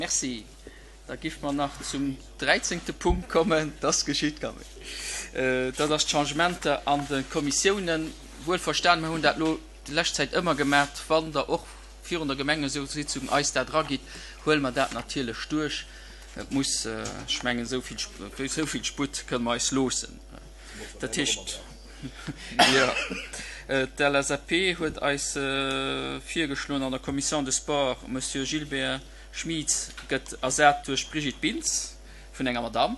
Merci. Da giff mer nach zum dräizéngte Punkt kommen. Dass geschitt, Camille. Dat ass d'Changementer an de Kommissiounen. Wuelverstan, mer hunn dat elo déi lescht Zäit ëmmer gemaat, wann Der och virun der Gemengeroutsitzung eis dat eragitt, huele mer dat natierlech duerch. Et muss, ech mengen, esou vill, esou vill Sputt kënne mer eis loossen. Dat heescht, jo, d'LSAP huet eis virgeschloen an der Commission des Sports, Monsieur Gilbert Schmieds gëtt ersat duerch d'Brigitte Bintz vun enger Madamm.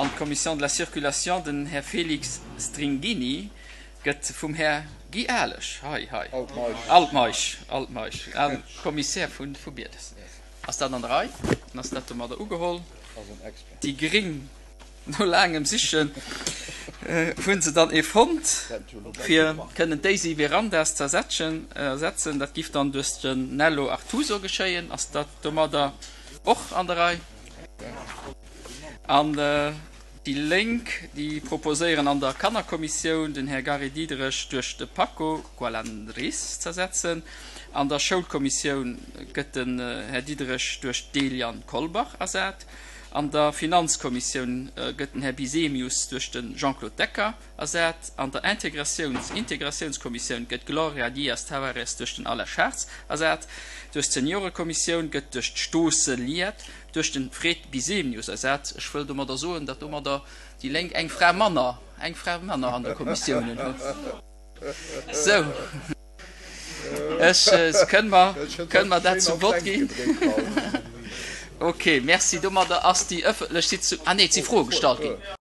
An d'Commission de la Circulation, den Här Félix Stringhini gëtt vum Här Guy Alesch, hei, hei, Altmeisch, Altmeisch, Kommissär vu Bieles. Ass dat an der Rei? Dann ass dat domadder ugeholl. Déi Gréng. No laangem Sichen hunn se dann ee fonnt, fir kënnen d'Daisy Verandas z'ersetzen. Dat giff dann duerch den Nello Artuso geschéien. Ass dat domadder och an der Rei? An déi Lénk, déi proposéieren an der Kannerkommissioun den Här Gary Diderich duerch de Paco Gualandris z'ersetzen. An der Schoulkommissioun gëtt den Här Diderich duerch d'Eliane Kolbach ersat. An der Finanzkommissioun gëtt den Här Bisemius duerch de Jean-Claude Decker ersat. An der Integratiouns Integratiounskommissioun gëtt d'Gloria Dias Tavares duerch den Alain Schartz ersat. Duerch d'Seniorekommissioun gëtt duerch d'Stosse Liette duerch de Fred Bisemius ersat. Ech wëll domadder soen, datt domadder déi Lénk eng Fra manner eng Fra manner an de Kommissiounen hunn. Sou. Ech kënne mer, kënne mer dat zum Vott ginn? Ok, merci. Domadder ass déi ëffentlech Sitzung, ah nee, et si Froe gestallt ginn.